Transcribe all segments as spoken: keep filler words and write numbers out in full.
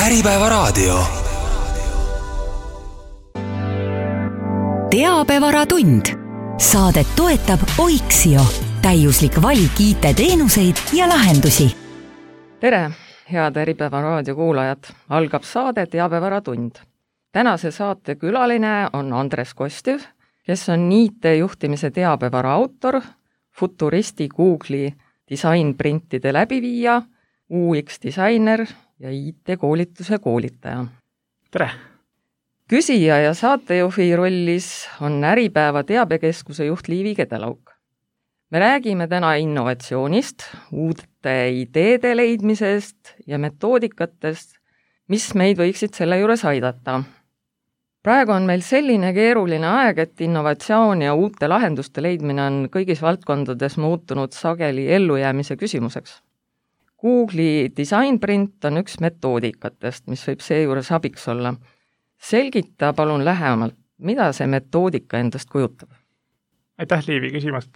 Äripäevaraadio. Teabevaratund. Saadet toetab Oiksio. Täiuslik valik I T-teenuseid ja lahendusi. Tere, head Äripäevaraadio kuulajad. Algab saade Teabevaratund. Tänase saate külaline on Andres Kostjev, kes on I T-juhtimise teabevara autor, futuristi Google'i disainprintide läbiviija, U X-disainer ja I T-koolituse koolitaja. Tere! Küsija ja saatejuhi rollis on Äripäeva teabekeskuse juht Liivi Kedelauk. Me räägime täna innovatsioonist, uute ideede leidmisest ja metoodikatest, mis meid võiksid selle juures aidata. Praegu on meil selline keeruline aeg, et innovatsioon ja uute lahenduste leidmine on kõigis valdkondades muutunud sageli ellujäämise küsimuseks. Google'i disainprint on üks metoodikatest, mis võib seejuures abiks olla. Selgita palun lähemalt, mida see metoodika endast kujutab? Aitäh, Liivi, küsimast.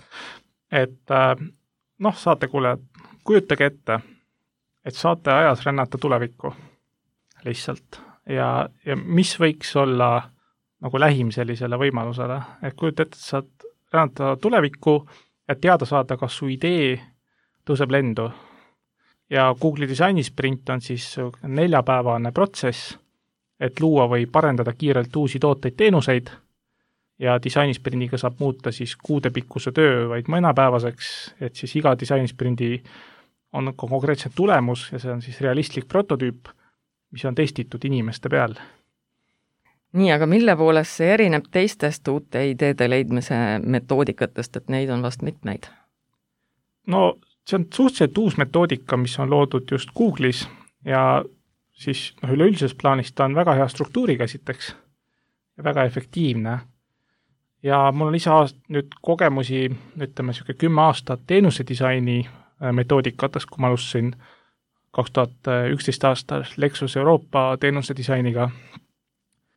Et noh, saatekuulajad, kujutage ette, et saate ajas rännata tulevikku lihtsalt. Ja, ja mis võiks olla nagu lähim sellisele võimalusele? Et kujuta ette, et saad rännata tulevikku ja teada saada, kas su idee tõuseb lendu. Ja Google'i disainisprint on siis neljapäevane protsess, et luua või parendada kiirelt uusi tooteid teenuseid ja disainispriniga saab muuta siis kuudepikkuse töö vaid mõnapäevaseks, et siis iga disainisprindi on konkreetselt tulemus ja see on siis realistlik prototüüp, mis on testitud inimeste peal. Nii, aga mille poolest see erineb teistest uute ideede leidmise metoodikatest, et neid on vast mitmeid? No see on suhteliselt uus metoodika, mis on loodud just Google'is ja siis noh, üleüldises plaanis ta on väga hea struktuuriga esiteks ja väga efektiivne. Ja mul on ise aast, nüüd kogemusi, ütleme, siuke kümme aastat teenuse disaini metoodikatest, kui ma alustasin kaks tuhat üksteist aastal Lexus Euroopa teenuse disainiga.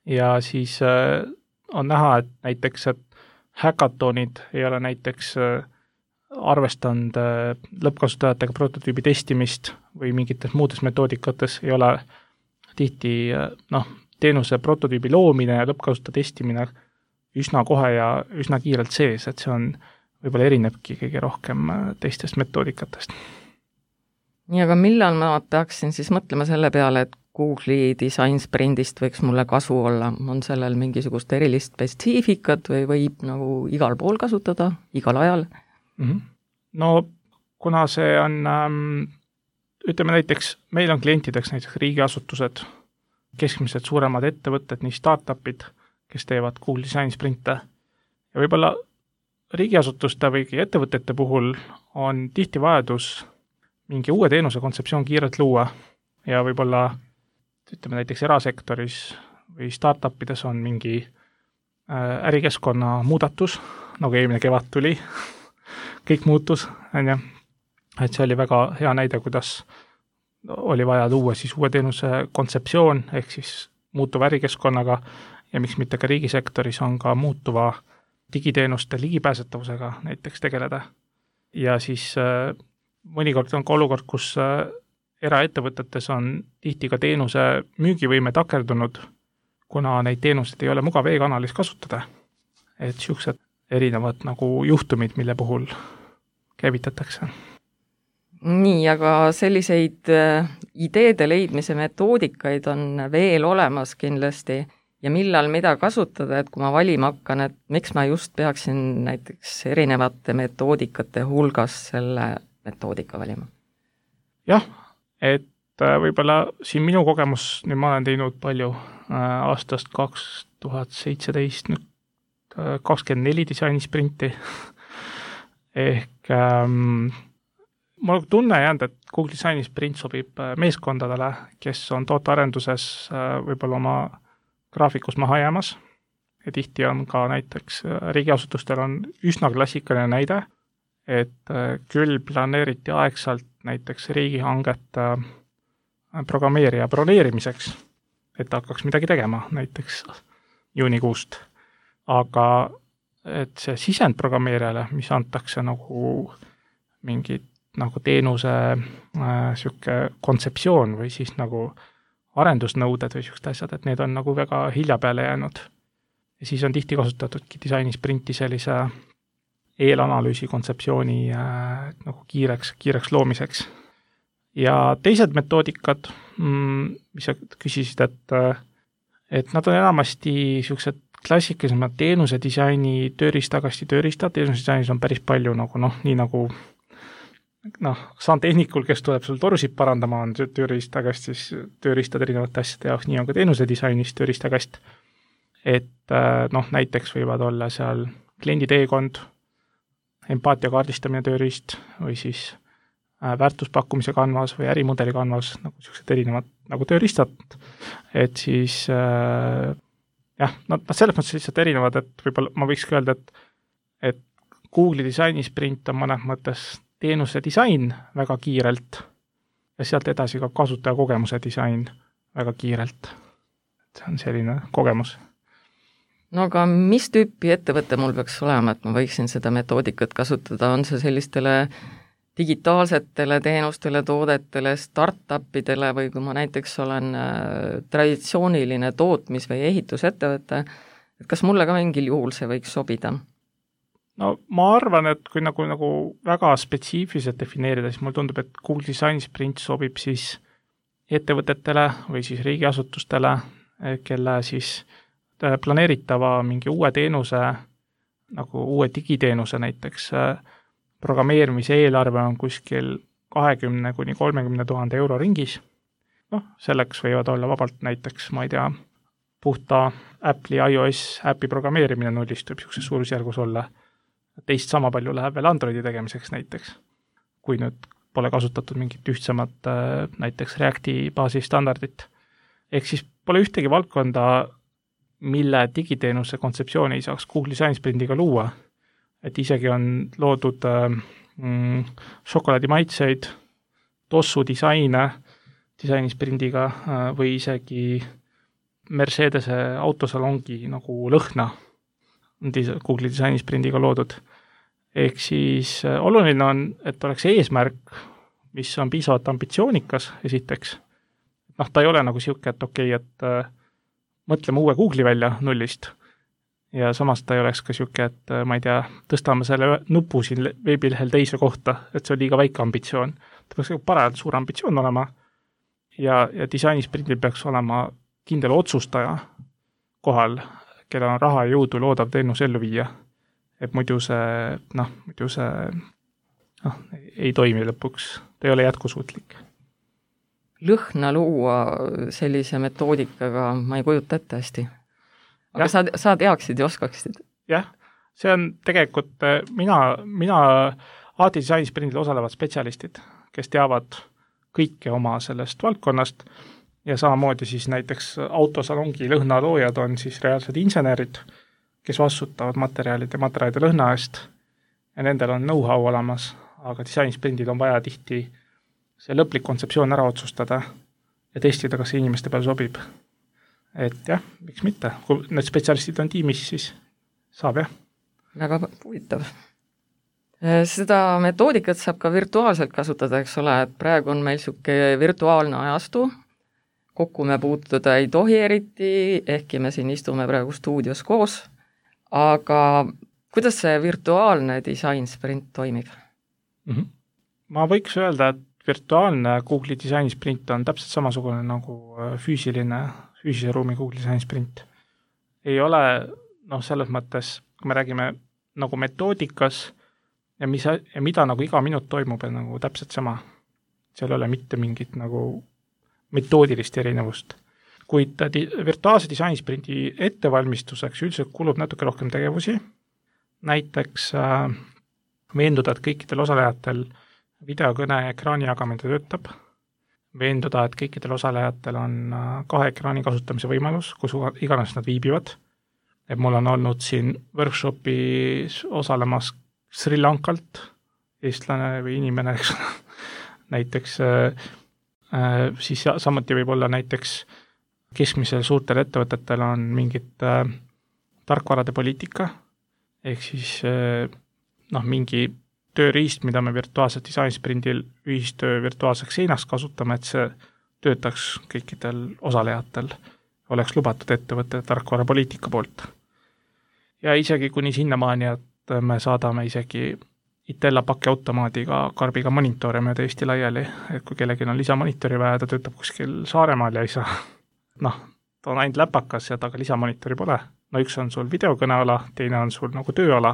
Ja siis on näha, et näiteks, et hackathonid ei ole näiteks arvestanud lõppkasutajatega prototüübi testimist või mingites muudes metoodikates ei ole tihti noh, teenuse prototüübi loomine ja lõppkasutaja testimine üsna kohe ja üsna kiirelt sees, et see on võib-olla erinebki kõige rohkem teistest metoodikatest. Nii, aga millal ma peaksin siis mõtlema selle peale, et Google'i disainsprindist võiks mulle kasu olla? On sellel mingisugust erilist spetsiifikat või võib nagu igal pool kasutada, igal ajal? Mm-hmm. No kuna see on, ähm, ütleme näiteks, meil on klientideks näiteks riigiasutused, keskmised suuremad ettevõtted, nii startupid, kes teevad Google disainsprinte. Ja võib-olla riigiasutuste või ettevõtete puhul on tihti vajadus mingi uue teenuse kontseptsioon kiirelt luua ja võib-olla, ütleme näiteks erasektoris või startupides on mingi äh, ärikeskkonna muudatus, nagu eelmine kevad tuli, kõik muutus, on ju. Et see oli väga hea näide, kuidas oli vaja luua siis uue teenuse kontseptsioon, ehk siis muutuva ärikeskkonnaga ja miks mitte ka riigisektoris on ka muutuva digiteenuste ligipääsetavusega näiteks tegeleda. Ja siis äh, mõnikord on ka olukord, kus äh, eraettevõtetes on tihti ka teenuse müügivõime takerdunud, kuna neid teenuseid ei ole mugav e-kanalis kasutada. Et siuksed erinevad nagu juhtumid, mille puhul käivitatakse. Nii, aga selliseid äh, ideede leidmise metoodikaid on veel olemas kindlasti ja millal mida kasutada, et kui ma valima hakkan, et miks ma just peaksin näiteks erinevate metoodikate hulgas selle metoodika valima? Jah, et äh, võib-olla siin minu kogemus, nüüd ma olen teinud palju äh, aastast kaks tuhat seitseteist nüüd kakskümmend neli disainissprinti ehk ähm, mul on tunne jäänud, et Google disainisprint sobib meeskondadele, kes on tootearenduses äh, võib-olla oma graafikus maha jäämas ja tihti on ka näiteks riigiasutustel on üsna klassikaline näide, et äh, küll planeeriti aegsalt näiteks riigihanget äh, programmeerija broneerimiseks, et hakkaks midagi tegema näiteks juunikuust. Aga et see sisendprogrammeerijale, mis antakse nagu mingit nagu teenuse äh, siuke kontseptsioon või siis nagu arendusnõuded või niisugused asjad, et need on nagu väga hilja peale jäänud. Ja siis on tihti kasutatudki disainisprinti sellise eelanalüüsi kontseptsiooni äh, nagu kiireks, kiireks loomiseks. Ja teised metoodikad, mis sa küsisid, et, et nad on enamasti niisugused klassikalisemad teenuse disaini tööriistakasti tööriistad, teenuse disainis on päris palju nagu noh, nii nagu noh, saan tehnikul, kes tuleb sul torusid parandama, on tööriistakastis tööriistad erinevate asjade jaoks, nii on ka teenuse disainis tööriistakast. Et noh, näiteks võivad olla seal kliendi teekond, empaatia kaardistamine tööriist või siis väärtuspakkumise kanvas või ärimudeli kanvas, nagu sellised erinevad nagu tööriistad, et siis äh, jah, nad selles mõttes lihtsalt erinevad, et võib-olla ma võikski öelda, et, et Google'i disainisprint on mõnes mõttes teenuse disain väga kiirelt ja sealt edasi ka kasutaja kogemuse disain väga kiirelt. See on selline kogemus. No aga mis tüüpi ettevõte mul peaks olema, et ma võiksin seda metoodikat kasutada, on see sellistele digitaalsetele teenustele, toodetele, startupidele või kui ma näiteks olen traditsiooniline tootmis- või ehitusettevõte, et kas mulle ka mingil juhul see võiks sobida? No ma arvan, et kui nagu, nagu väga spetsiifiliselt defineerida, siis mulle tundub, et Google Design Sprint sobib siis ettevõtetele või siis riigiasutustele, kelle siis planeeritava mingi uue teenuse, nagu uue digiteenuse näiteks, programmeerimise eelarve on kuskil kahekümne kuni kolmekümne tuhande euro ringis. Noh, selleks võivad olla vabalt näiteks, ma ei tea, puhta Apple'i iOS äpi programmeerimine nullist võib niisuguses suurusjärgus olla. Teist sama palju läheb veel Androidi tegemiseks näiteks, kui nüüd pole kasutatud mingit ühtsemat näiteks Reacti baasistandardit. Ehk siis pole ühtegi valdkonda, mille digiteenuse kontseptsiooni ei saaks Google Design Sprintiga luua. Et isegi on loodud mm, šokolaadimaitseid, tossu disaine disainissprindiga äh, või isegi Mercedese autosalongi nagu lõhna Google disainissprindiga loodud. Ehk siis äh, oluline on, et oleks eesmärk, mis on piisavalt ambitsioonikas esiteks. Noh, ta ei ole nagu siuke, et okei, okay, et äh, mõtleme uue Google'i välja nullist. Ja samas ta ei oleks ka siuke, et ma ei tea, tõstame selle nupu siin veebilehel teise kohta, et see on liiga väike ambitsioon. Ta peaks parajalt suur ambitsioon olema ja, ja disainisprindil peaks olema kindel otsustaja kohal, kellel on raha ja jõudu loodav teenus ellu viia. Et muidu see, noh, muidu see noh, ei toimi lõpuks, ta ei ole jätkusuutlik. Lõhna luua sellise metoodikaga ma ei kujuta ette hästi. Aga sa, sa teaksid ja oskaksid? Jah, see on tegelikult, mina, mina A T Design Sprindil osalevad spetsialistid, kes teavad kõike oma sellest valdkonnast ja samamoodi siis näiteks autosalongi lõhnaloojad on siis reaalsed insenerid, kes vastutavad materjalide, materjalide lõhna eest ja nendel on know-how olemas, aga Design Sprindil on vaja tihti see lõplik kontseptsioon ära otsustada ja testida, kas see inimeste peal sobib. Et jah, miks mitte. Kui need spetsialistid on tiimis, siis saab jah. Väga huvitav. Seda metoodikat saab ka virtuaalselt kasutada, eks ole, et praegu on meil siuke virtuaalne ajastu, kokku me puutuda ei tohi eriti, ehkki me siin istume praegu stuudios koos, aga kuidas see virtuaalne disain sprint toimib? Mm-hmm. Ma võiks öelda, et virtuaalne Google Design Sprint on täpselt samasugune nagu füüsiline, füüsilise ruumi Google Design Sprint. Ei ole, noh, selles mõttes, kui me räägime nagu metoodikas ja, mis, ja mida nagu iga minut toimub, on nagu täpselt sama. Seal ei ole mitte mingit nagu metoodilist erinevust. Kuid di- virtuaalse disaini sprinti ettevalmistuseks üldiselt kulub natuke rohkem tegevusi. Näiteks äh, veenduda, et kõikidel osalejatel videokõne ja ekraani jagamine töötab, veenduda, et kõikidel osalejatel on kahe ekraani kasutamise võimalus, kus iganes nad viibivad. Et mul on olnud siin workshopis osalemas Sri Lankalt, eestlane või inimene, eks näiteks äh, siis samuti võib olla näiteks keskmisel suurtel ettevõtetel on mingit äh, tarkvarade poliitika, ehk siis äh, noh, mingi tööriist, mida me virtuaalselt disainsprindil ühistöö virtuaalseks seinaks kasutame, et see töötaks kõikidel osalejatel, oleks lubatud ettevõtte tarkvarapoliitika poolt. Ja isegi kuni sinnamaani, et me saadame isegi Itella pakiautomaadiga karbiga monitore mööda Eesti laiali, et kui kellelgi on lisamonitori vaja, ta töötab kuskil Saaremaal ja ei saa, noh, ta on ainult läpakas ja taga lisamonitori pole. No üks on sul videokõneala, teine on sul nagu tööala,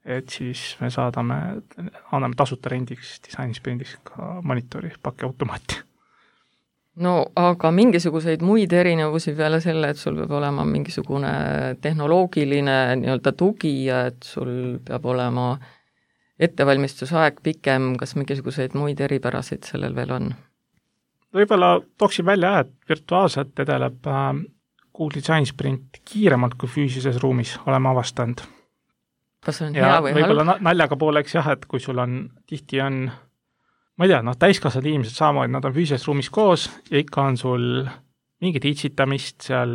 et siis me saadame, anname tasuta rendiks, disainisprindis ka monitori pakiautomaati. No aga mingisuguseid muid erinevusi peale selle, et sul peab olema mingisugune tehnoloogiline nii-öelda tugi ja et sul peab olema ettevalmistusaeg pikem, kas mingisuguseid muid eripärasid sellel veel on? Võib-olla tooksin välja, et virtuaalselt edeleb Google Design Sprint kiiremalt kui füüsilises ruumis, oleme avastanud. Kas on ja hea või halb? Võib-olla naljaga pooleks jah, et kui sul on, tihti on, ma ei tea, noh, täiskasvad inimesed samamoodi, nad on füüsilises ruumis koos ja ikka on sul mingit itsitamist seal,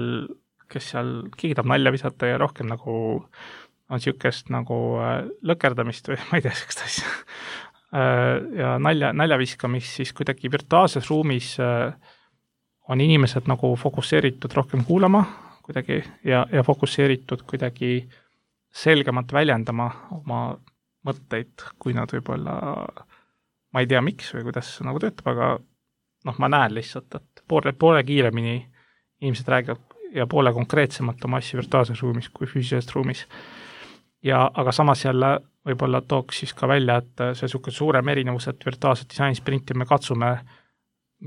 kes seal, keegi tahab nalja visata ja rohkem nagu on niisugust nagu lõkerdamist või ma ei tea, sellist asja. Ja nalja, nalja viskamist, siis kuidagi virtuaalses ruumis on inimesed nagu fokusseeritud rohkem kuulama kuidagi ja, ja fokusseeritud kuidagi selgemalt väljendama oma mõtteid, kui nad võib-olla, ma ei tea miks või kuidas see nagu töötab, aga noh, ma näen lihtsalt, et poole, poole kiiremini inimesed räägivad ja poole konkreetsemalt oma asju virtuaalses ruumis kui füüsilises ruumis. Ja, aga samas jälle võib-olla tooks siis ka välja, et see niisugune suurem erinevus, et virtuaalset disainisprinti me katsume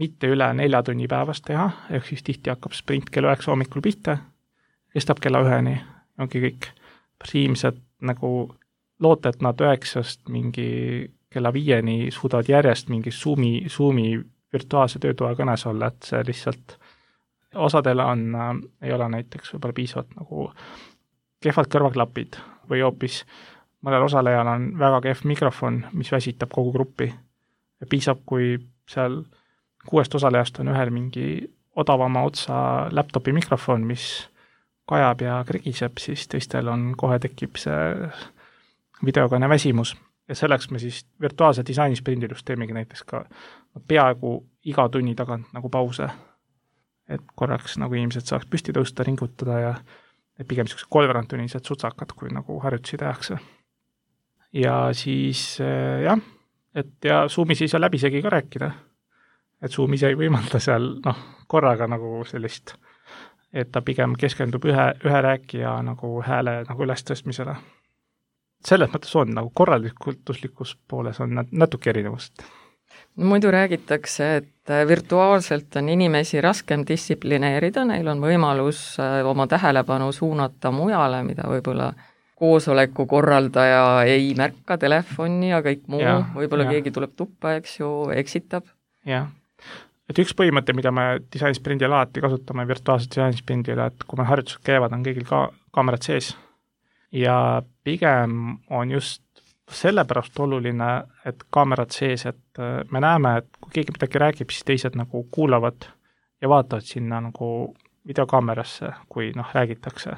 mitte üle nelja tunni päevast teha, ehk siis tihti hakkab sprint kell üheksa hommikul pihta, kestab kella üheni, ongi kõik. Inimesed nagu loota, et nad üheksast mingi kella viieni suudavad järjest mingi Zoomi, Zoomi virtuaalse töötoa kõnes olla, et see lihtsalt osadel on, ei ole näiteks võib-olla piisavalt nagu kehvad kõrvaklapid või hoopis mõnel osalejal on väga kehv mikrofon, mis väsitab kogu gruppi. Ja piisab, kui seal kuuest osalejast on ühel mingi odavama otsa laptopi mikrofon, mis kajab ja krigiseb, siis teistel on kohe tekib see videokõne väsimus. Ja selleks me siis virtuaalse disainisprindil just teemegi näiteks ka peaaegu iga tunni tagant nagu pause, et korraks nagu inimesed saaks püsti tõusta, ringutada ja et pigem niisugused kolveranttunnised sutsakad, kui nagu harjutusi tehakse. Ja siis jah, et ja Zoomis ei saa läbisegi ka rääkida. Et Zoomis ei võimalda seal noh, korraga nagu sellist, et ta pigem keskendub ühe, ühe rääkija nagu hääle nagu ülestõstmisele. Selles mõttes on nagu korralikultuslikus pooles on natuke erinevust. No muidu räägitakse, et virtuaalselt on inimesi raskem distsiplineerida, neil on võimalus oma tähelepanu suunata mujale, mida võib-olla koosoleku korraldaja ei märka telefoni ja kõik muu, ja, võib-olla ja. Keegi tuleb tuppa, eks ju, eksitab. Jah, et üks põhimõte, mida me disainsprindil alati kasutame virtuaalset disainsprindil, et kui me harjutused käivad, on kõigil ka kaamerad sees ja pigem on just sellepärast oluline, et kaamerad sees, et me näeme, et kui keegi midagi räägib, siis teised nagu kuulavad ja vaatavad sinna nagu videokaamerasse, kui noh, räägitakse.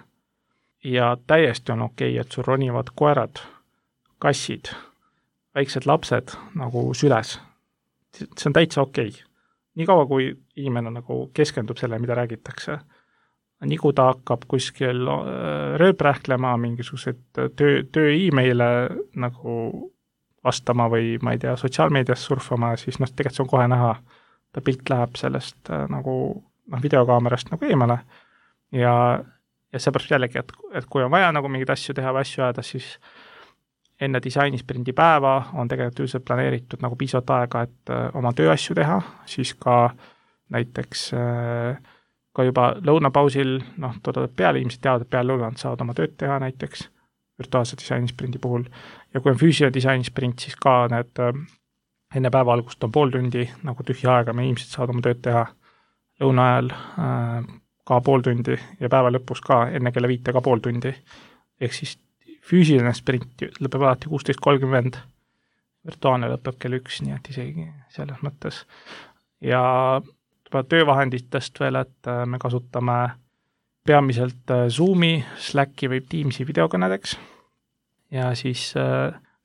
Ja täiesti on okei, et sul ronivad koerad, kassid, väiksed lapsed nagu süles. See on täitsa okei. Nii kaua, kui inimene nagu keskendub selle, mida räägitakse. Nii kui ta hakkab kuskil rööprähklema, mingisugused töö, töö e-maile nagu vastama või ma ei tea, sotsiaalmeedias surfama, siis noh, tegelikult see on kohe näha. Ta pilt läheb sellest nagu noh, videokaamerast nagu eemale ja, ja seepärast jällegi, et, et kui on vaja nagu mingid asju teha või asju ajada, siis enne disainisprindi päeva on tegelikult üldiselt planeeritud nagu piisavalt aega, et oma tööasju teha, siis ka näiteks ka juba lõunapausil, noh, toodavad peale, inimesed teavad, et peale lõunat saavad oma tööd teha näiteks virtuaalse disainisprindi puhul. Ja kui on füüsiline disainisprint, siis ka need enne päeva algust on pool tundi nagu tühja aega, me inimesed saavad oma tööd teha lõuna ajal ka pool tundi ja päeva lõpus ka enne kella viite ka pool tundi. Ehk siis füüsiline sprint lõpeb alati kuusteist kolmkümmend, virtuaalne lõpeb kell üks, nii et isegi selles mõttes. Ja töövahenditest veel, et me kasutame peamiselt Zoomi, Slacki või Teamsi videokõnedeks ja siis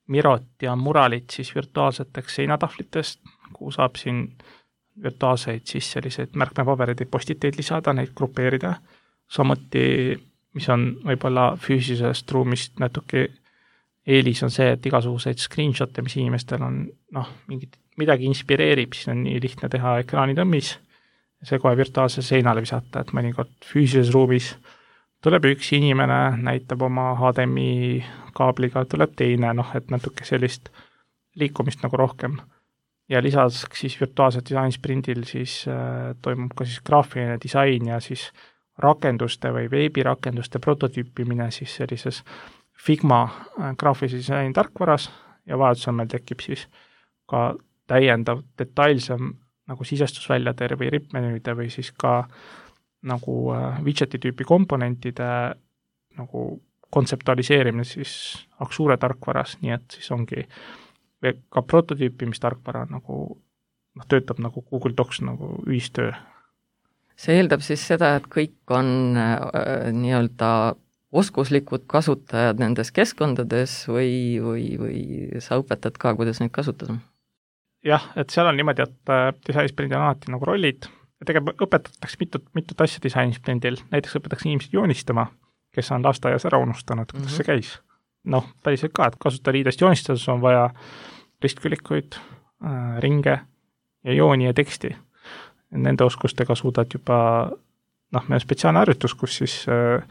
Mirot ja Muralit siis virtuaalseteks seinatahvlitest, kuhu saab siin virtuaalseid siis selliseid märkmepabereid või postiteid lisada, neid grupeerida, samuti mis on võib-olla füüsilisest ruumist natuke eelis on see, et igasuguseid screenshot'e, mis inimestel on, noh, mingid, midagi inspireerib, siis on nii lihtne teha ekraanitõmmis, see kohe virtuaalsele seinale visata, et mõnikord füüsilises ruumis tuleb üks inimene, näitab oma H D M I kaabliga, tuleb teine, noh, et natuke sellist liikumist nagu rohkem. Ja lisaks siis virtuaalse disainsprindil siis äh, toimub ka siis graafiline disain ja siis rakenduste või veebirakenduste prototüüpimine siis sellises Figma graafilise disaini tarkvaras ja vajadusel meil tekib siis ka täiendav detailsem nagu sisestusväljade või ripmenüüde või siis ka nagu widgeti tüüpi komponentide nagu kontseptualiseerimine siis Axure tarkvaras, nii et siis ongi ka prototüüpimistarkvara nagu noh, töötab nagu Google Docs nagu ühistöö. See eeldab siis seda, et kõik on äh, nii-öelda oskuslikud kasutajad nendes keskkondades või, või, või sa õpetad ka, kuidas neid kasutada? Jah, et seal on niimoodi, et disainsprindil on alati nagu rollid ja tegelikult õpetatakse mitut, mitut asja disainsprindil, näiteks õpetatakse inimesed joonistama, kes on lasteaias ära unustanud, kuidas mm-hmm. see käis. Noh, päriselt ka, et kasutajaliidest joonistades on vaja ristkülikuid, äh, ringe ja jooni ja teksti. Nende oskustega suudad juba, noh, meil on spetsiaalne harjutus, kus siis äh,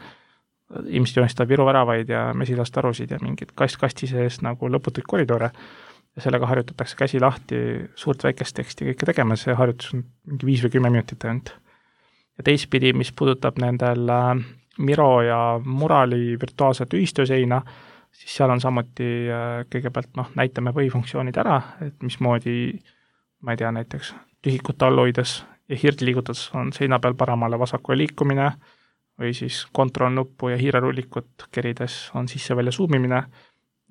ilmselt joonistab Viru väravaid ja mesilast arusid ja mingid kast-kasti sees nagu lõputuid koridore ja sellega harjutatakse käsi lahti suurt väikest teksti kõike tegema, see harjutus on mingi viis või kümme minutit ainult. Ja teistpidi, mis puudutab nendel äh, Miro ja Murali virtuaalset ühistööseina, siis seal on samuti äh, kõigepealt noh, näitame põhifunktsioonid ära, et mismoodi, ma ei tea, näiteks tühikut all hoides ja hirdi liigutades on seina peal paremale vasakule liikumine või siis kontroll-nuppu ja hiirerullikut kerides on sisse-välja zoomimine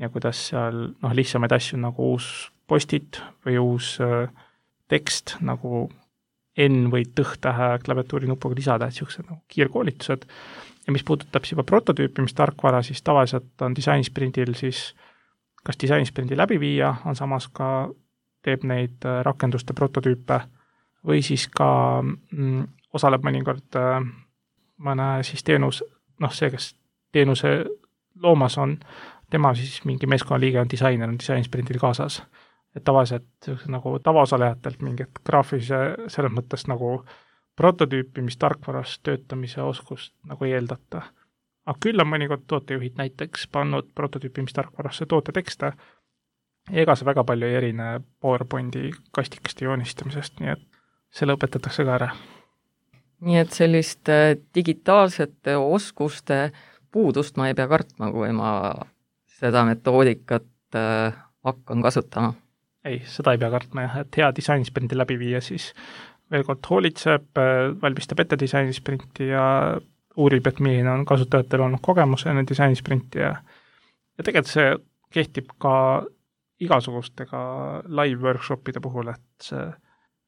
ja kuidas seal noh, lihtsamaid asju nagu uus postit või uus äh, tekst nagu N või tõh-tähe klaviatuuri nupuga lisada, et niisugused nagu kiirkoolitused. Ja mis puudutab juba prototüüpimistarkvara, siis tavaliselt on disainsprindil siis kas disainsprindi läbi viia, on samas ka teeb neid rakenduste prototüüpe või siis ka mm, osaleb mõnikord äh, mõne siis teenus, noh see, kes teenuse loomas on, tema siis mingi meeskonnaliige on disainer, on disainsprindil kaasas. Et tavaliselt nagu tavaosalejatelt mingit graafilise selles mõttes nagu prototüüpimistarkvaras töötamise oskust nagu ei eeldata. Aga küll on mõnikord tootejuhid näiteks pannud prototüüpimistarkvarasse tootetekste, ega see väga palju ei erine PowerPointi kastikeste joonistamisest, nii et selle õpetatakse ka ära. Nii et sellist digitaalsete oskuste puudust ma ei pea kartma, kui ma seda metoodikat äh, hakkan kasutama. Ei, seda ei pea kartma jah, et hea disainsprindi läbi viia, siis veel kord hoolitseb, valmistab ette disainssprinti ja uurib, et milline on kasutajatel olnud kogemus enne disainssprinti ja, ja tegelikult see kehtib ka igasugustega live workshopide puhul, et see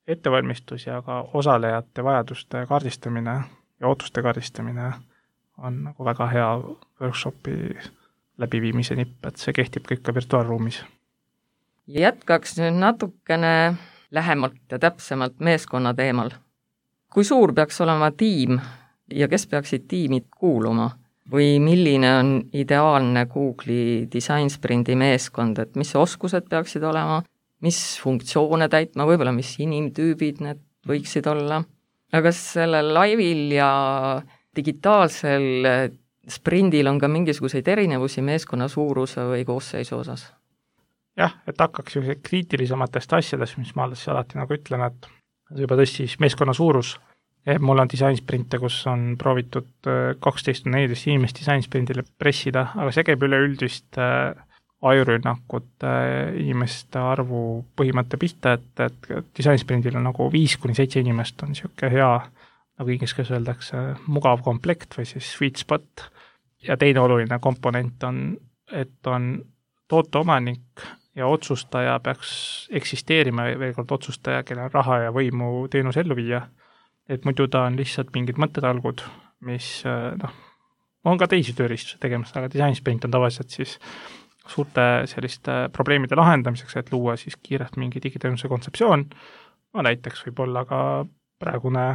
ettevalmistus ja ka osalejate vajaduste kaardistamine ja ootuste kaardistamine on nagu väga hea workshopi läbiviimise nipp, et see kehtib kõik ka virtuaalruumis. Jätkaks nüüd natukene lähemalt ja täpsemalt meeskonna teemal. Kui suur peaks olema tiim ja kes peaksid tiimid kuuluma? Või milline on ideaalne Google'i disainsprindi meeskond, et mis oskused peaksid olema, mis funktsioone täitma, võib-olla mis inimtüübid need võiksid olla? Aga kas sellel laivil ja digitaalsel sprindil on ka mingisuguseid erinevusi meeskonna suuruse või koosseisu osas? Jah, et hakkaks kriitilisematest asjadest, mis ma alati nagu ütlen, et juba tõesti meeskonna suurus. Mul on disainsprinte, kus on proovitud kaksteist neliteist inimest disainsprindile pressida, aga see käib üleüldist ajurünnakut inimeste arvu põhimõtte pihta, et, et disainsprindil on nagu viis kuni seitse inimest on niisugune hea, nagu inglise keeles öeldakse, mugav komplekt või siis sweet spot. Ja teine oluline komponent on, et on tooteomanik ja otsustaja peaks eksisteerima, veel kord otsustaja, kellel on raha ja võimu teenus ellu viia. Et muidu ta on lihtsalt mingid mõttetalgud, mis noh, on ka teisi tööriistusi tegemas, aga disainsprint on tavaliselt siis suurte selliste probleemide lahendamiseks, et luua siis kiirelt mingi digiteenuse kontseptsioon, no näiteks võib olla ka praegune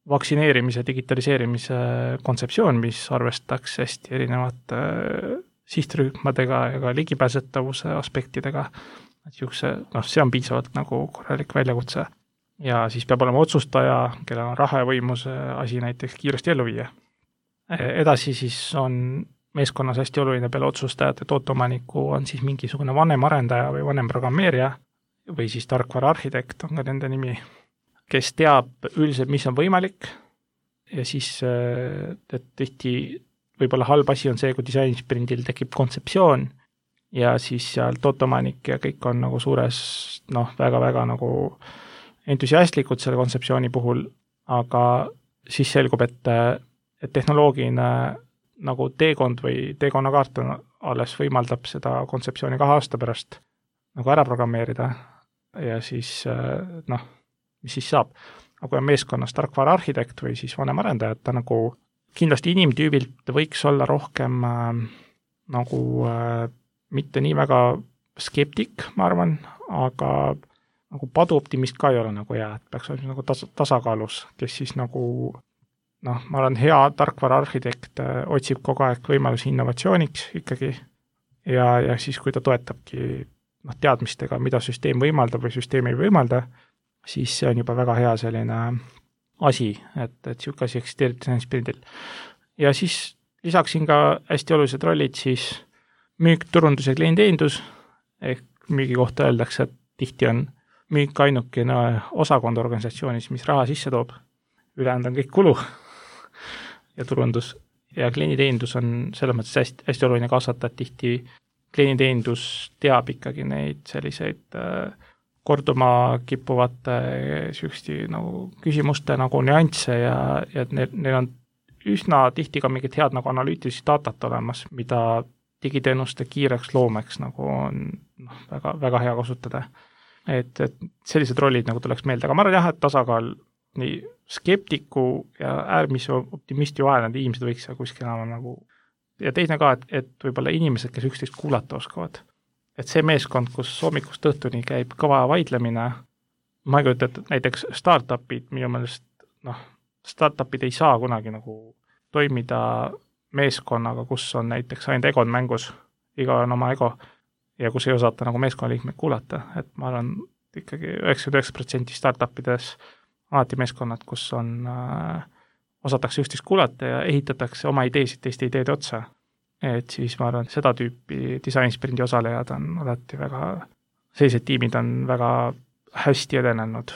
vaktsineerimise, digitaliseerimise kontseptsioon, mis arvestaks hästi erinevate sihtrühmadega ja ka ligipääsetavuse aspektidega. Et jukse, noh, see on piisavalt nagu korralik väljakutse. Ja siis peab olema otsustaja, kellel on raha ja võimuse asi näiteks kiiresti ellu viia. Edasi siis on meeskonnas hästi oluline peale otsustajate tooteomaniku on siis mingisugune vanem arendaja või vanem programmeerija või siis tarkvara arhitekt on ka nende nimi, kes teab üldiselt, mis on võimalik ja siis et tihti võib-olla halb asi on see, kui disainisprindil tekib kontseptsioon ja siis seal tooteomanik ja kõik on nagu suures, noh, väga-väga nagu entusiastlikud selle kontseptsiooni puhul, aga siis selgub, et, et tehnoloogiline nagu teekond või teekonnakaart on alles võimaldab seda kontseptsiooni kahe aasta pärast nagu ära programmeerida ja siis noh, mis siis saab. Aga kui on meeskonnas tarkvara arhitekt või siis vanem arendaja, ta nagu kindlasti inimtüübilt võiks olla rohkem äh, nagu äh, mitte nii väga skeptik, ma arvan, aga nagu paduoptimist ka ei ole nagu hea, et peaks olema nagu tas- tasakaalus, kes siis nagu noh, ma olen hea tarkvara arhitekt, otsib kogu aeg võimalusi innovatsiooniks ikkagi ja, ja siis, kui ta toetabki noh, teadmistega, mida süsteem võimaldab või süsteem ei võimalda, siis see on juba väga hea selline asi, et, et niisugune asi eksisteerib disainisprindil. Ja siis lisaksin ka hästi olulised rollid siis müük, turundus ja klienditeenindus, ehk müügi kohta öeldakse, et tihti on müük ainukene osakond organisatsioonis, mis raha sisse toob, ülejäänud on kõik kulu ja turundus ja klienditeenindus on selles mõttes hästi, hästi oluline kaasata, et tihti klienditeenindus teab ikkagi neid selliseid äh, korduma kippuvate süüsti nagu küsimuste nagu nüansse ja, ja neil, neil on üsna tihti ka mingit head nagu analüütilist datat olemas, mida digiteenuste kiireks loomeks nagu on noh, väga, väga hea kasutada. Et, et sellised rollid nagu tuleks meelde, aga ma arvan jah, et tasakaal nii skeptiku ja äärmise optimisti vahel need inimesed võiks kuskil enam nagu ja teine ka, et, et võib-olla inimesed, kes üksteist kuulata oskavad. Et see meeskond, kus hommikust õhtuni käib kõva vaidlemine, ma ei kujuta, et näiteks startupid minu meelest, noh, startupid ei saa kunagi nagu toimida meeskonnaga, kus on näiteks ainult egod mängus, iga on oma ego ja kus ei osata nagu meeskonnaliikmeid kuulata, et ma arvan ikkagi üheksakümmend üheksa protsenti startupides alati meeskonnad, kus on äh, osatakse üksteist kuulata ja ehitatakse oma ideesid teiste ideede otsa. Et siis ma arvan, seda tüüpi disainisprindi osalejad on alati väga, sellised tiimid on väga hästi edenenud.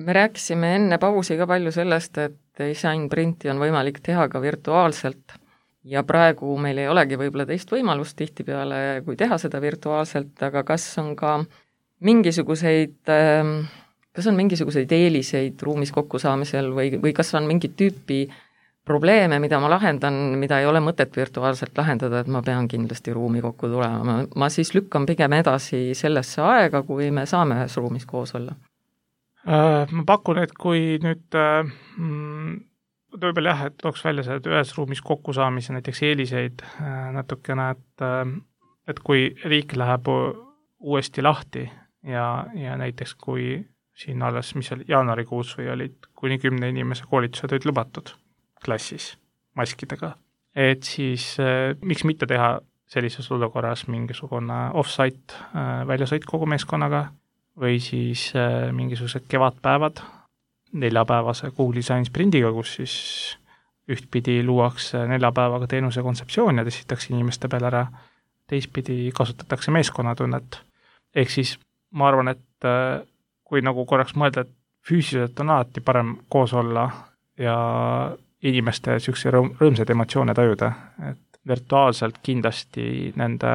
Me rääkisime enne pausi ka palju sellest, et disainsprindi on võimalik teha ka virtuaalselt ja praegu meil ei olegi võib-olla teist võimalust tihtipeale, kui teha seda virtuaalselt, aga kas on ka mingisuguseid, kas on mingisuguseid eeliseid ruumis kokkusaamisel või, või kas on mingit tüüpi probleeme, mida ma lahendan, mida ei ole mõtet virtuaalselt lahendada, et ma pean kindlasti ruumi kokku tulema. Ma, ma siis lükkan pigem edasi sellesse aega, kui me saame ühes ruumis koos olla. Ma pakun, et kui nüüd mm, võib-olla jah, et tooks välja see, et ühes ruumis kokkusaamise näiteks eeliseid natukene, et, et kui riik läheb uuesti lahti ja, ja näiteks kui siin alles, mis oli jaanuarikuus või olid kuni kümne inimese koolitused olid lubatud klassis maskidega, et siis eh, miks mitte teha sellises olukorras mingisugune off-site eh, väljasõit kogu meeskonnaga või siis eh, mingisugused kevadpäevad neljapäevase Google Design Sprindiga, kus siis ühtpidi luuakse neljapäevaga teenuse kontseptsioon ja testitakse inimeste peale ära, teistpidi kasutatakse meeskonnatunnet. Ehk siis ma arvan, et eh, kui nagu korraks mõelda, et füüsiliselt on alati parem koos olla ja inimeste niisuguse rõõm, rõõmsaid emotsioone tajuda, et virtuaalselt kindlasti nende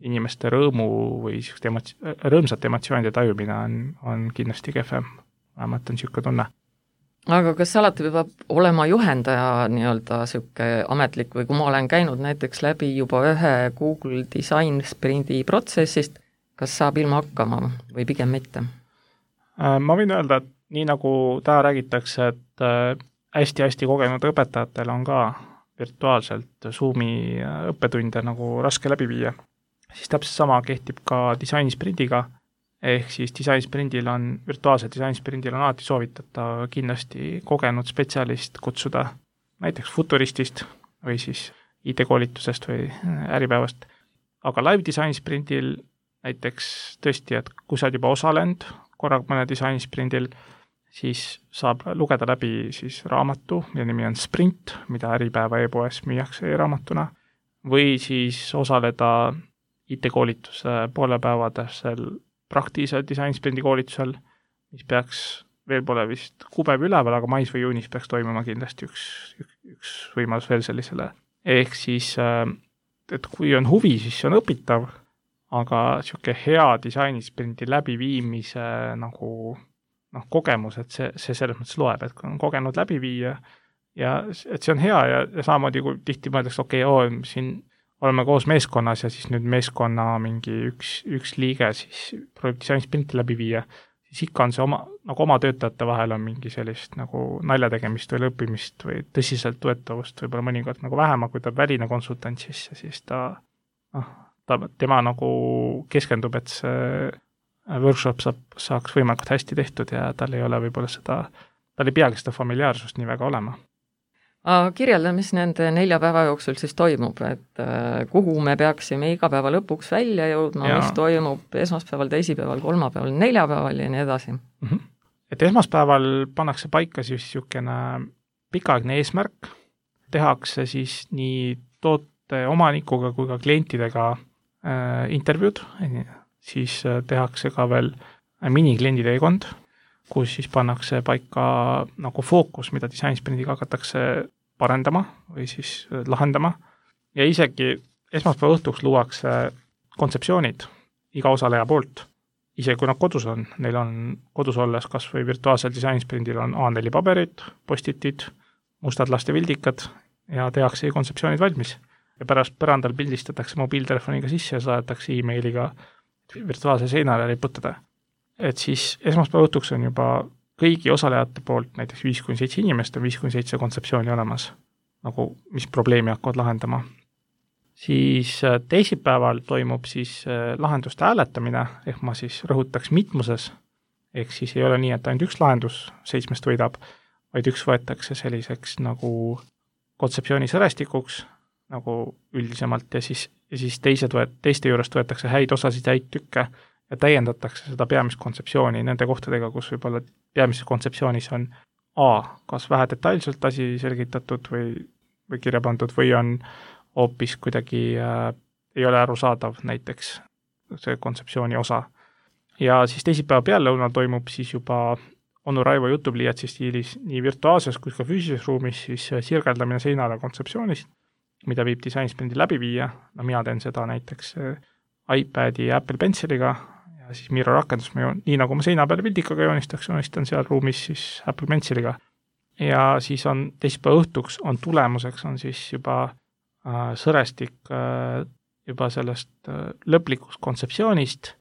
inimeste rõõmu või niisuguste emotsi-, rõõmsate emotsioonide tajumine on, on kindlasti kehvem, vähemalt on niisugune tunne. Aga kas alati peab olema juhendaja nii-öelda niisugune ametlik või kui ma olen käinud näiteks läbi juba ühe Google Design Sprindi protsessist, kas saab ilma hakkama või pigem mitte? Ma võin öelda, et nii nagu täna räägitakse, et hästi-hästi kogenud õpetajatel on ka virtuaalselt Zoomi õppetunde nagu raske läbi viia. Siis täpselt sama kehtib ka disainissprindiga, ehk siis disainsprindil on, virtuaalsel disainsprindil on alati soovitatav kindlasti kogenud spetsialist kutsuda näiteks futuristist või siis I T-koolitusest või äripäevast. Aga live disainsprindil näiteks tõesti, et kui sa oled juba osalenud korraga mõne disainsprindil, siis saab lugeda läbi siis raamatu, mille nimi on Sprint, mida Äripäeva e-poes müüakse e-raamatuna, või siis osaleda I T-koolituse poolepäevadasel praktilisel disainsprindi koolitusel, mis peaks, veel pole vist kuupäev üleval, aga mais või juunis peaks toimuma kindlasti üks, üks, üks võimalus veel sellisele. Ehk siis, et kui on huvi, siis see on õpitav, aga niisugune hea disainisprindi läbiviimise nagu noh, kogemus, et see, see selles mõttes loeb, et kui on kogenud läbiviija ja et see on hea ja, ja samamoodi, kui tihti mõeldakse, okei, okay, oo, siin oleme koos meeskonnas ja siis nüüd meeskonna mingi üks, üks liige siis proovib disainsprinte läbi viia, siis ikka on see oma, nagu oma töötajate vahel on mingi sellist nagu naljategemist või lõppimist või tõsiselt võetavust võib-olla mõnikord nagu vähem, kui ta väline konsultant sisse, siis ta, noh, ta, tema nagu keskendub, et see workshop saab, saaks võimalikult hästi tehtud ja tal ei ole võib-olla seda, tal ei peagi seda familiaarsust nii väga olema. Aga kirjelda, mis nende nelja päeva jooksul siis toimub, et kuhu me peaksime iga päeva lõpuks välja jõudma, mis toimub esmaspäeval, teisipäeval, kolmapäeval, neljapäeval ja nii edasi. Mm-hmm. Et esmaspäeval pannakse paika siis niisugune pikaaegne eesmärk, tehakse siis nii toote omanikuga kui ka klientidega äh, intervjuud, siis tehakse ka veel minikliendi teekond, kus siis pannakse paika nagu fookus, mida disainsprindiga hakatakse parendama või siis lahendama. Ja isegi esmaspäeva õhtuks luuakse kontseptsioonid iga osaleja poolt. Isegi kui nad kodus on, neil on kodus olles kas või virtuaalsel disainsprindil on A neli paberid, postitid, mustad lastevildikad ja tehakse kontseptsioonid valmis. Ja pärast põrandal pildistatakse mobiiltelefoniga sisse ja saadetakse e-mailiga virtuaalse seinale riputada. Et siis esmaspäeva õhtuks on juba kõigi osalejate poolt näiteks viis kuni seitse inimest on viis kuni seitse kontseptsiooni olemas, nagu mis probleemi hakkavad lahendama. Siis teisipäeval toimub siis lahenduste hääletamine, ehk ma siis rõhutaks mitmuses, ehk siis ei ole nii, et ainult üks lahendus seitsmest võidab, vaid üks võetakse selliseks nagu kontseptsiooni sõrestikuks, nagu üldisemalt, ja siis, ja siis teised võet, teiste juurest võetakse häid osasid, häid tükke, ja täiendatakse seda peamist kontseptsiooni nende kohtadega, kus võib-olla peamises kontseptsioonis on A, kas vähe detailselt asi selgitatud või, või kirja pandud või on hoopis kuidagi äh, ei ole arusaadav näiteks see kontseptsiooni osa. Ja siis teisipäeva peallõunal toimub siis juba Onu Raivo jutupliiatsi stiilis nii virtuaalses kui ka füüsilises ruumis siis sirgeldamine seinale kontseptsioonist, mida viib disainsprindi läbi viia. No mina teen seda näiteks iPadi ja Apple Penciliga ja siis Miro rakendus, nii nagu ma seina peale pildikaga joonistaks, joonistan seal ruumis siis Apple Penciliga. Ja siis on teisipäeva õhtuks on tulemuseks on siis juba äh, sõrestik äh, juba sellest äh, lõplikust kontseptsioonist,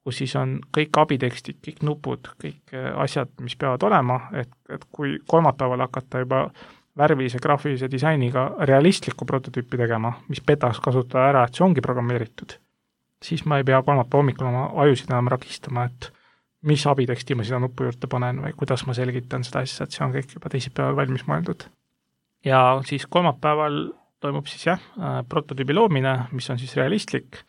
kus siis on kõik abitekstid, kõik nupud, kõik äh, asjad, mis peavad olema, et, et kui kolmapäeval hakata juba värvilise graafilise disainiga realistlikku prototüüpi tegema, mis petaks kasutada ära, et see ongi programmeeritud, siis ma ei pea kolmapäeva hommikul oma ajusid enam rakistama, et mis abiteksti ma sinna nupu juurde panen või kuidas ma selgitan seda asja, et see on kõik juba teisipäeval valmis mõeldud. Ja siis kolmapäeval toimub siis jah, prototüübi loomine, mis on siis realistlik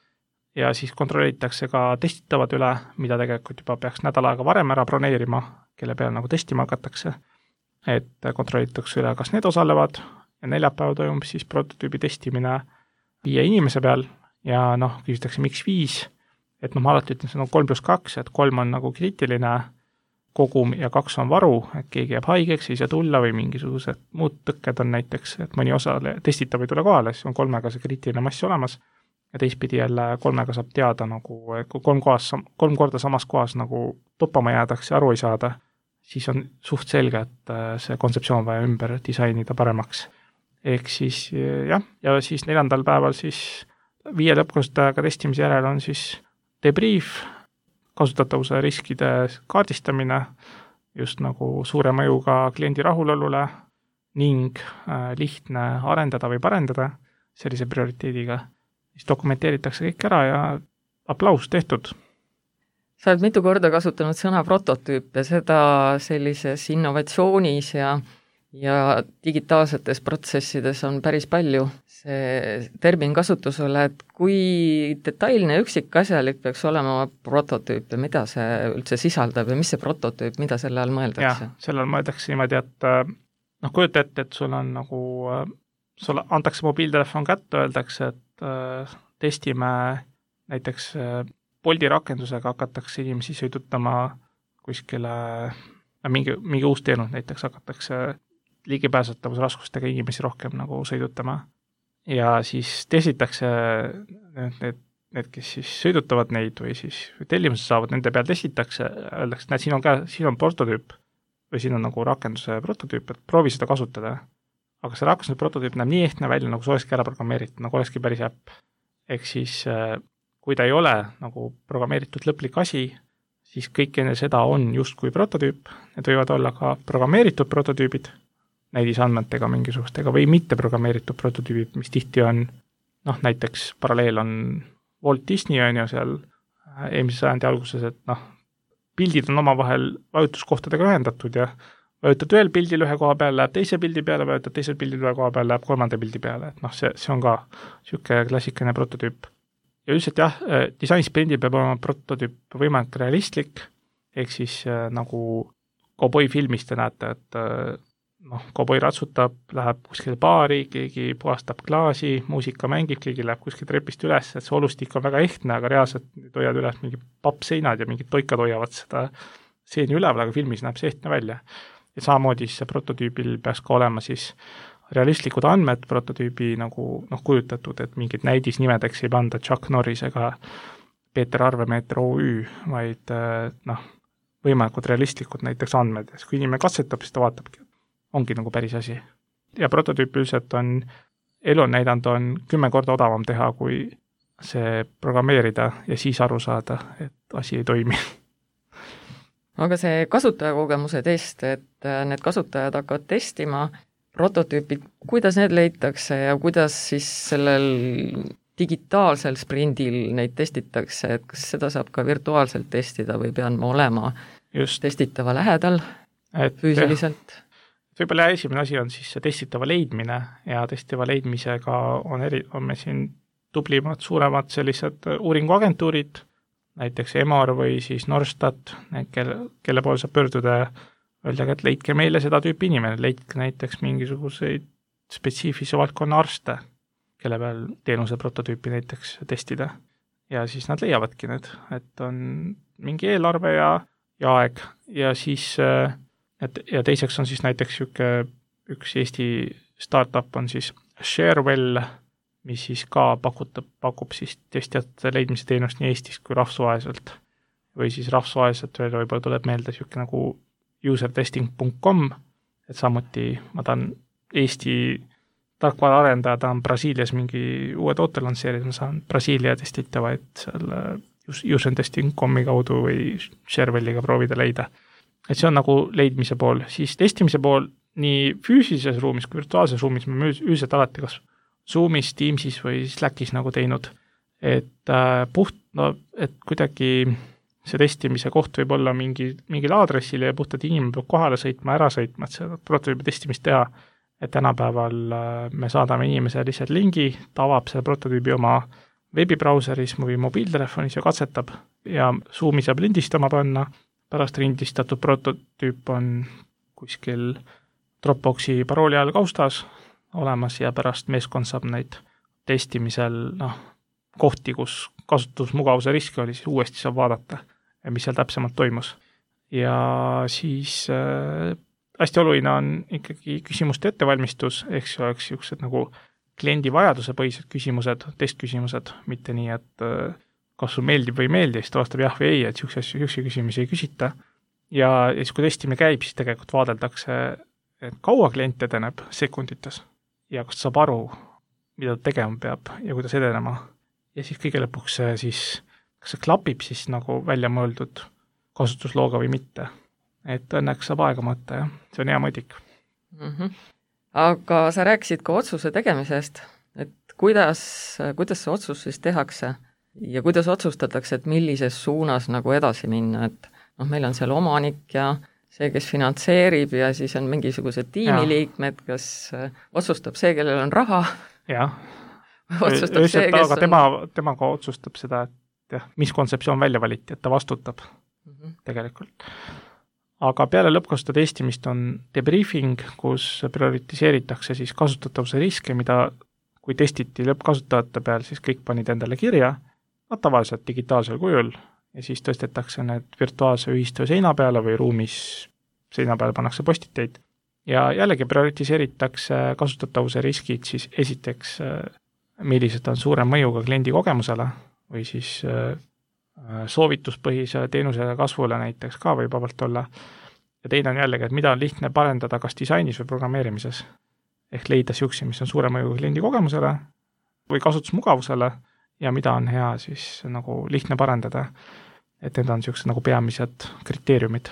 ja siis kontrollitakse ka testitavad üle, mida tegelikult juba peaks nädal aega varem ära broneerima, kelle peal nagu testima hakatakse, et kontrollitakse üle, kas need osalevad ja neljapäeval toimub siis prototüübi testimine viie inimese peal ja noh, küsitakse miks viis, et noh, ma alati ütlen, see on kolm pluss kaks, et kolm on nagu kriitiline kogum ja kaks on varu, et keegi jääb haigeks, ei saa tulla või mingisugused muud tõkked on näiteks, et mõni osale testitav ei tule kohale, siis on kolmega see kriitiline mass olemas ja teistpidi jälle kolmega saab teada nagu, kui kolm, kohas, kolm korda samas kohas nagu toppama jäädakse ja aru ei saada, siis on suht selge, et see kontseptsioon vaja ümber disainida paremaks. Ehk siis jah, ja siis neljandal päeval siis viie lõppkasutajaga testimise järel on siis debrief, kasutatavuse riskide kaardistamine, just nagu suure mõjuga kliendi rahulolule ning äh, lihtne arendada või parendada sellise prioriteediga. Siis dokumenteeritakse kõik ära ja aplaus tehtud. sa oled mitu korda kasutanud sõna prototüüp ja seda sellises innovatsioonis ja ja digitaalsetes protsessides on päris palju see termin kasutusele, et kui detailne üksikasjalik peaks olema prototüüp ja mida see üldse sisaldab ja mis see prototüüp, mida selle all mõeldakse? jah, selle all mõeldakse niimoodi, et noh, kujuta ette, et sul on nagu, sulle antakse mobiiltelefon kätte, öeldakse, et äh, testime näiteks äh, Bolti rakendusega hakatakse inimesi sõidutama kuskile, mingi, mingi uus teenus näiteks hakatakse ligipääsetavusraskustega inimesi rohkem nagu sõidutama ja siis testitakse need, need, need, kes siis sõidutavad neid või siis tellimuse saavad, nende peal testitakse, öeldakse, näed, siin on käe, siin on prototüüp või siin on nagu rakenduse prototüüp, et proovi seda kasutada. Aga see rakenduse prototüüp näeb nii ehtne välja, nagu see olekski ära programmeeritud, nagu olekski päris äpp. Ehk siis, kui ta ei ole nagu programmeeritud lõplik asi, siis kõik enne seda on justkui prototüüp, need võivad olla ka programmeeritud prototüübid, näidisandmetega mingisugustega või mitte programmeeritud prototüübid, mis tihti on, noh, näiteks paralleel on Walt Disney on ju seal eelmise sajandi alguses, et noh, pildid on omavahel vajutuskohtadega ühendatud ja vajutad ühel pildil ühe koha peal, läheb teise pildi peale, vajutad teisel pildil ühe koha peal, läheb kolmanda pildi peale, et noh, see, see on ka niisugune klassikaline prototüüp. Ja üldiselt jah, disainsprindil peab olema prototüüp võimalik realistlik, ehk siis äh, nagu Cowboy filmis te näete, et äh, noh, Cowboy ratsutab, läheb kuskil baari, keegi puhastab klaasi, muusika mängib, keegi läheb kuskil trepist üles, et see olustik on väga ehtne, aga reaalselt hoiad üles mingi pappseinad ja mingid toikad hoiavad seda seeni üleval, aga filmis näeb see ehtne välja. Ja samamoodi see prototüübil peaks ka olema siis realistlikud andmed prototüübi nagu noh, kujutatud, et mingid näidisnimedeks ei panda Chuck Norris ega Peeter Arvemeeter O Ü, vaid noh, võimalikud realistlikud näiteks andmed. Kui inimene katsetab, siis ta vaatabki, ongi nagu päris asi. Ja prototüüp üldiselt on, elu on näidanud, on kümme korda odavam teha, kui see programmeerida ja siis aru saada, et asi ei toimi. Aga see kasutajakogemuse test, et need kasutajad hakkavad testima prototüüpid, kuidas need leitakse ja kuidas siis sellel digitaalsel sprindil neid testitakse, et kas seda saab ka virtuaalselt testida või pean ma olema Just. testitava lähedal et, füüsiliselt? Võib-olla esimene asi on siis see testitava leidmine ja testitava leidmisega on, eri, on me siin tublimad, suuremad sellised uuringuagentuurid, näiteks Emor või siis Norstat, kelle, kelle poole saab pöörduda ja öeldagi, et leidke meile seda tüüpi inimene, leidke näiteks mingisuguseid spetsiifilise valdkonna arste, kelle peal teenuse prototüüpi näiteks testida. Ja siis nad leiavadki need, et on mingi eelarve ja, ja aeg ja siis et, ja teiseks on siis näiteks üke, üks Eesti startup on siis Sharewell, mis siis ka pakutab, pakub siis testijate leidmise teenust nii Eestis kui rahvusvaheliselt. Või siis rahvusvaheliselt veel võib-olla tuleb meelde siuke nagu usertesting punkt com, et samuti ma tahan Eesti tarkvara arendaja, tahan Brasiilias mingi uue toote lansseerida, ma saan Brasiilia testitavaid seal usertesting punkt comi kaudu või Sharewelliga proovida leida. Et see on nagu leidmise pool. Siis testimise pool nii füüsilises ruumis kui virtuaalses ruumis me üldiselt alati kas Zoomis, Teamsis või Slackis nagu teinud, et äh, puht, no, et kuidagi see testimise koht võib olla mingi, mingil aadressil ja puhtalt inimene peab kohale sõitma, ära sõitma, et seda prototüübi testimist teha, et tänapäeval äh, me saadame inimesele lihtsalt lingi, ta avab selle prototüübi oma veebibrauseris või mobiiltelefonis ja katsetab ja Zoomi saab lindistama panna, pärast lindistatud prototüüp on kuskil Dropboxi parooli all kaustas olemas ja pärast meeskond saab neid testimisel noh, kohti, kus kasutusmugavuse riski oli, siis uuesti saab vaadata, mis seal täpsemalt toimus. Ja siis äh, hästi oluline on ikkagi küsimuste ettevalmistus, ehk see oleks niisugused nagu kliendi vajaduse põhised küsimused, testküsimused, mitte nii, et äh, kas sul meeldib või ei meeldi, siis ta vastab jah või ei, et niisuguse küsimusi ei küsita. Ja siis, kui testimine käib, siis tegelikult vaadeldakse, et kaua klient edeneb sekundites ja kas ta saab aru, mida ta tegema peab ja kuidas edenema. Ja siis kõige lõpuks see siis, kas see klapib siis nagu välja mõeldud kasutuslooga või mitte. Et õnneks saab aega mõtta ja see on hea mõõdik. Mm-hmm. Aga sa rääkisid ka otsuse tegemisest, et kuidas, kuidas see otsus siis tehakse? ja kuidas otsustatakse, et millises suunas nagu edasi minna, et noh, meil on seal omanik ja see, kes finantseerib ja siis on mingisugused tiimiliikmed, kes otsustab see, kellel on raha. Jah, otsustab see, kes aga tema, temaga otsustab seda, et jah, mis kontseptsioon välja valiti, et ta vastutab mm -hmm. tegelikult. Aga peale lõppkasutajate testimist on debriefing, kus prioritiseeritakse siis kasutatavuse riske, mida kui testiti lõppkasutajate peal, siis kõik panid endale kirja, no tavaliselt digitaalsel kujul, ja siis tõstetakse need virtuaalse ühistöö seina peale või ruumis seina peale pannakse postiteid. Ja jällegi prioritiseeritakse kasutatavuse riskid siis esiteks, millised on suurem mõjuga kliendi kogemusele või siis soovituspõhise teenuse kasvule näiteks ka võib vabalt olla. Ja teine on jällegi, et mida on lihtne parendada kas disainis või programmeerimises. Ehk leida siuksi, mis on suure mõjuga kliendi kogemusele või kasutusmugavusele ja mida on hea siis nagu lihtne parendada. Et need on siuksed nagu peamised kriteeriumid.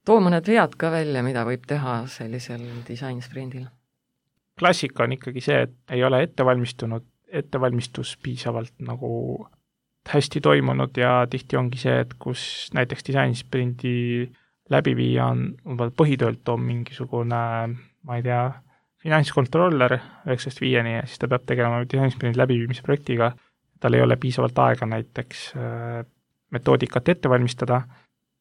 Too mõned vead ka välja, mida võib teha sellisel disainsprindil. Klassika on ikkagi see, et ei ole ettevalmistunud, ettevalmistus piisavalt nagu hästi toimunud ja tihti ongi see, et kus näiteks disainsprindi läbiviija on põhitöölt on mingisugune, ma ei tea, finantskontroller üheksast viieni ja siis ta peab tegema disainsprindi läbiviimise projektiga. Tal ei ole piisavalt aega näiteks metoodikat ette valmistada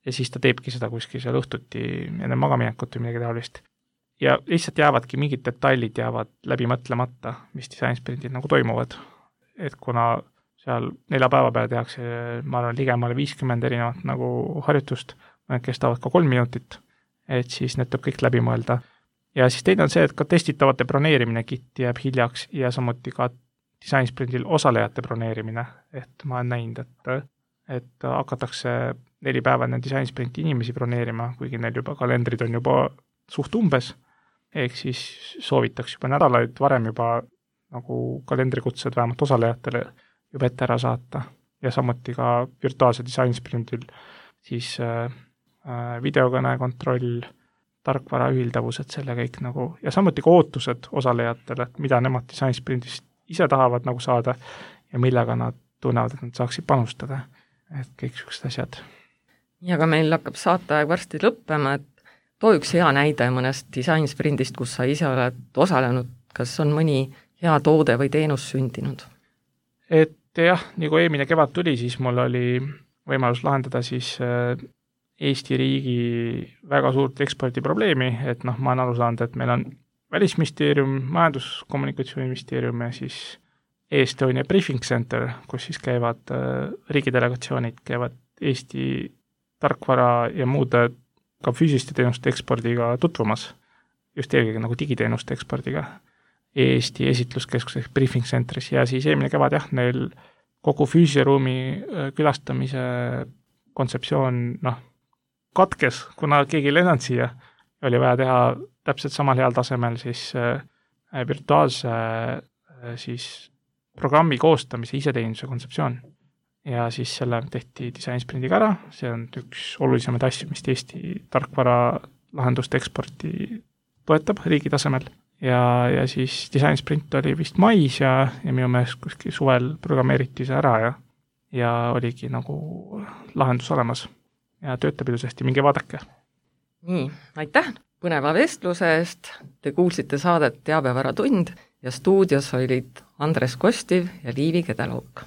ja siis ta teebki seda kuskil seal õhtuti enne magaminekut või midagi taolist. Ja lihtsalt jäävadki mingid detailid jäävad läbi mõtlemata, mis disainsprindid nagu toimuvad. Et kuna seal nelja päeva peale tehakse, ma arvan, ligemale viiskümmend erinevat nagu harjutust, need kestavad ka kolm minutit, et siis need tuleb kõik läbi mõelda. Ja siis teine on see, et ka testitavate broneerimine kitt jääb hiljaks ja samuti ka disainsprindil osalejate broneerimine, et ma olen näinud, et, et hakatakse neli päeva enne disainsprindi inimesi broneerima, kuigi neil juba kalendrid on juba suht umbes, ehk siis soovitaks juba nädalaid varem juba nagu kalendrikutsed vähemalt osalejatele juba ette ära saata ja samuti ka virtuaalse disainsprindil siis äh, videokõne kontroll, tarkvara ühildavused, selle kõik nagu ja samuti ka ootused osalejatele, et mida nemad disainsprindist ise tahavad nagu saada ja millega nad tunnevad, et nad saaksid panustada, et kõik sellised asjad. Ja ka meil hakkab saateaeg varsti lõppema, et too üks hea näide mõnest disainsprindist, kus sa ise oled osalenud, kas on mõni hea toode või teenus sündinud? Et jah, nii kui eelmine kevad tuli, siis mul oli võimalus lahendada siis Eesti riigi väga suurt ekspordiprobleemi, et noh, ma olen aru saanud, et meil on Välisministeerium, Majandus-Kommunikatsiooniministeerium ja siis Estonia Briefing Center, kus siis käivad riigidelegatsioonid, käivad Eesti tarkvara ja muude ka füüsiliste teenuste ekspordiga tutvumas, just eelkõige nagu digiteenuste ekspordiga Eesti esitluskeskuses Briefing Centeris ja siis eelmine kevad jah, neil kogu füüsilise ruumi külastamise kontseptsioon noh, katkes, kuna keegi ei lennanud siia, oli vaja teha täpselt samal heal tasemel siis virtuaalse siis programmi koostamise iseteenuse kontseptsioon. Ja siis selle tehti disainssprindiga ära, see on üks olulisemaid asju, mis Eesti tarkvara lahenduste eksporti toetab riigi tasemel. Ja, ja siis disainsprint oli vist mais ja, ja minu meelest kuskil suvel programmeeriti see ära ja, ja oligi nagu lahendus olemas ja töötab ilusasti, minge vaadake. Nii, aitäh põneva vestluse eest, te kuulsite saadet Teabevaratund ja stuudios olid Andres Kostiv ja Liivi Kedelook.